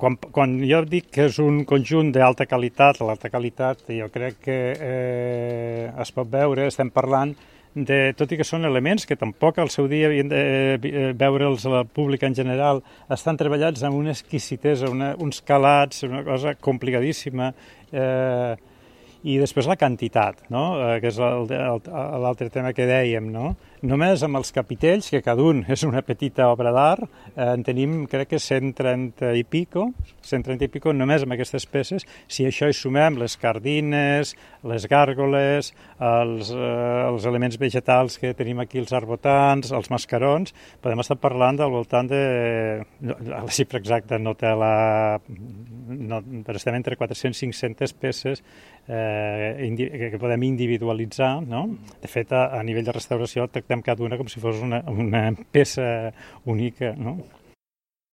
quan jo dic que és un conjunt d'alta qualitat, l'alta qualitat jo crec que es pot veure, estem parlant tot i que són elements que tampoc al seu dia havien de veure'ls al públic en general, estan treballats amb una exquisitesa, uns calats, una cosa complicadíssima, i després la quantitat, no? Que és l'altre tema que dèiem, no? Només amb els capitells, que cada un és una petita obra d'art, en tenim, crec que 130 i pico, només amb aquestes peces. Si això hi sumem les cardines, les gàrgoles, els elements vegetals que tenim aquí, els arbotants, els mascarons, podem estar parlant del voltant de... La xifra exacta no té però estem entre 400 i 500 peces que podem individualitzar, no? De fet, a nivell de restauració tractem cada una com si fos una peça única, no?